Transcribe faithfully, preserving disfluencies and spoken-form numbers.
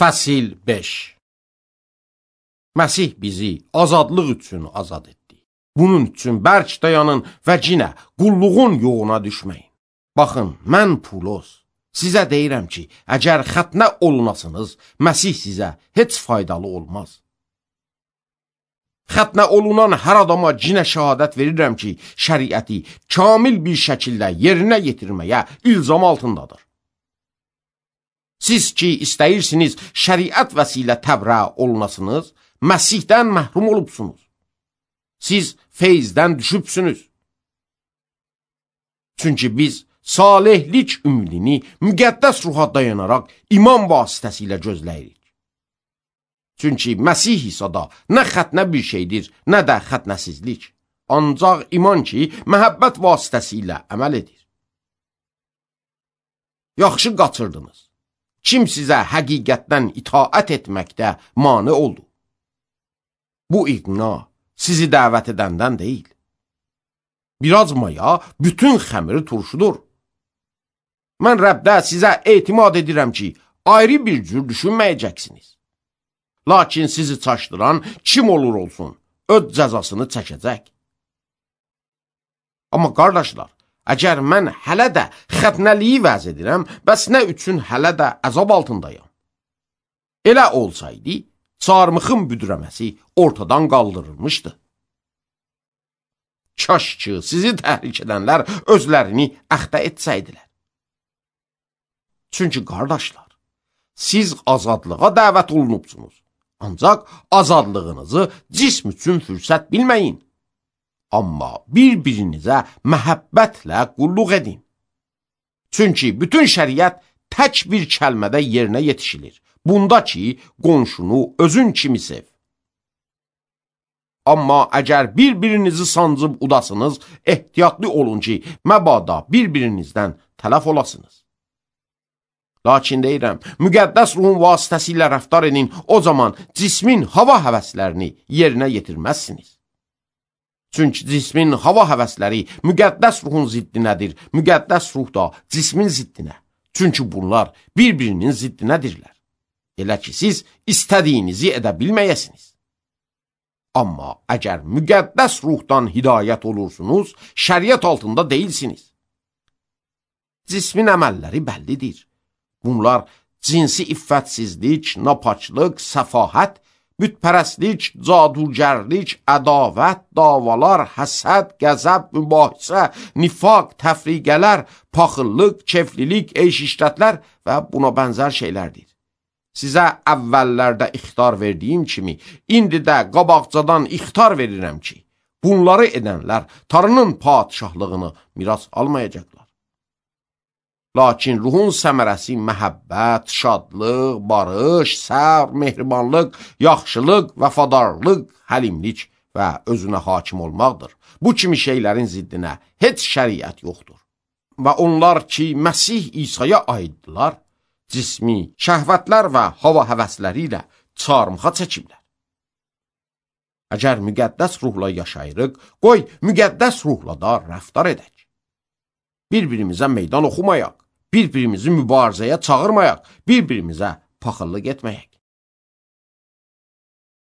Fəsil beş. Məsih bizi azadlıq üçün azad etdi. Bunun üçün bərk dayanın və cinə qulluğun yoğuna düşməyin. Baxın, mən Pulos, sizə deyirəm ki, əgər xətnə olunasınız, Məsih sizə heç faydalı olmaz. Xətnə olunan hər adama cinə şəhadət verirəm ki, şəriəti kamil bir şəkildə yerinə yetirməyə ilzam altındadır. Siz ki, istəyirsiniz şəriət vəsilə təbrə olunasınız, Məsihdən məhrum olubsunuz. Siz feyzdən düşübsünüz. Çünki biz salihlik ümidini müqəddəs ruha dayanaraq iman vasitəsilə gözləyirik. Çünki Məsih İsa'da nə xətnə bir şeydir, nə də xətnəsizlik. Ancaq iman ki, məhəbbət vasitəsilə əməl edir. Yaxşı qaçırdınız. Kim sizə həqiqətdən itaət etməkdə mane oldu? Bu iqna sizi dəvət edəndən deyil. Biraz maya bütün xəmiri turşudur. Mən Rəbdə sizə etimad edirəm ki, ayrı bir cür düşünməyəcəksiniz. Lakin sizi çaşdıran kim olur olsun, öz cəzasını çəkəcək. Amma qardaşlar, əgər mən hələ də xətnəliyi vəz edirəm, bəs nə üçün hələ də əzab altındayam? Elə olsaydı, çarmıxın büdrəməsi ortadan qaldırılmışdı. Kaş ki, sizi təhrik edənlər özlərini əxtə etsəydilər. Çünki qardaşlar, siz azadlığa dəvət olunubsunuz. Ancaq azadlığınızı cism üçün fürsət bilməyin. Amma bir-birinizə məhəbbətlə qulluq edin. Çünki bütün şəriət tək bir kəlmədə yerinə yetişilir. Bunda ki, qonşunu özün kimi sev. Amma əgər bir-birinizi sancıb udasınız, ehtiyatlı olun ki, məbada bir-birinizdən tələf olasınız. Lakin deyirəm, müqəddəs ruhun vasitəsilə rəftar edin, o zaman cismin hava həvəslərini yerinə yetirməzsiniz. Çünki cismin hava həvəsləri müqəddəs ruhun ziddinədir, müqəddəs ruh da cismin ziddinə. Çünki bunlar bir-birinin ziddinədirlər. Elə ki, siz istədiyinizi edə bilməyəsiniz. Amma əgər müqəddəs ruhdan hidayət olursunuz, şəriət altında deyilsiniz. Cismin əməlləri bəllidir. Bunlar cinsi iffətsizlik, napaçlıq, səfahət, bütpərəstlik, cadugərlik, ədavət, davalar, həsəd, qəzəb, mübahisə, nifaq, təfriqələr, paxıllıq, keflilik, eyş-işrətlər və buna bənzər şeylərdir. Sizə əvvəllərdə ixtar verdiyim kimi, indi də qabaqcadan ixtar verirəm ki, bunları edənlər Tanrının padişahlığını miras almayacaqlar. Lakin ruhun səmərəsi məhəbbət, şadlıq, barış, səbr, mehribanlıq, yaxşılıq, vəfadarlıq, həlimlik və özünə hakim olmaqdır. Bu kimi şeylərin ziddinə heç şəriət yoxdur. Və onlar ki, Məsih İsa'ya aiddirlər, cismi, şəhvətlər və hava həvəsləri ilə çarmıxa çəkiblər. Əgər müqəddəs ruhla yaşayırıq, qoy müqəddəs ruhla da rəftar edək. Bir-birimizə meydan oxumayaq, bir-birimizi mübarizəyə çağırmayaq, bir-birimizə paxıllıq etməyək.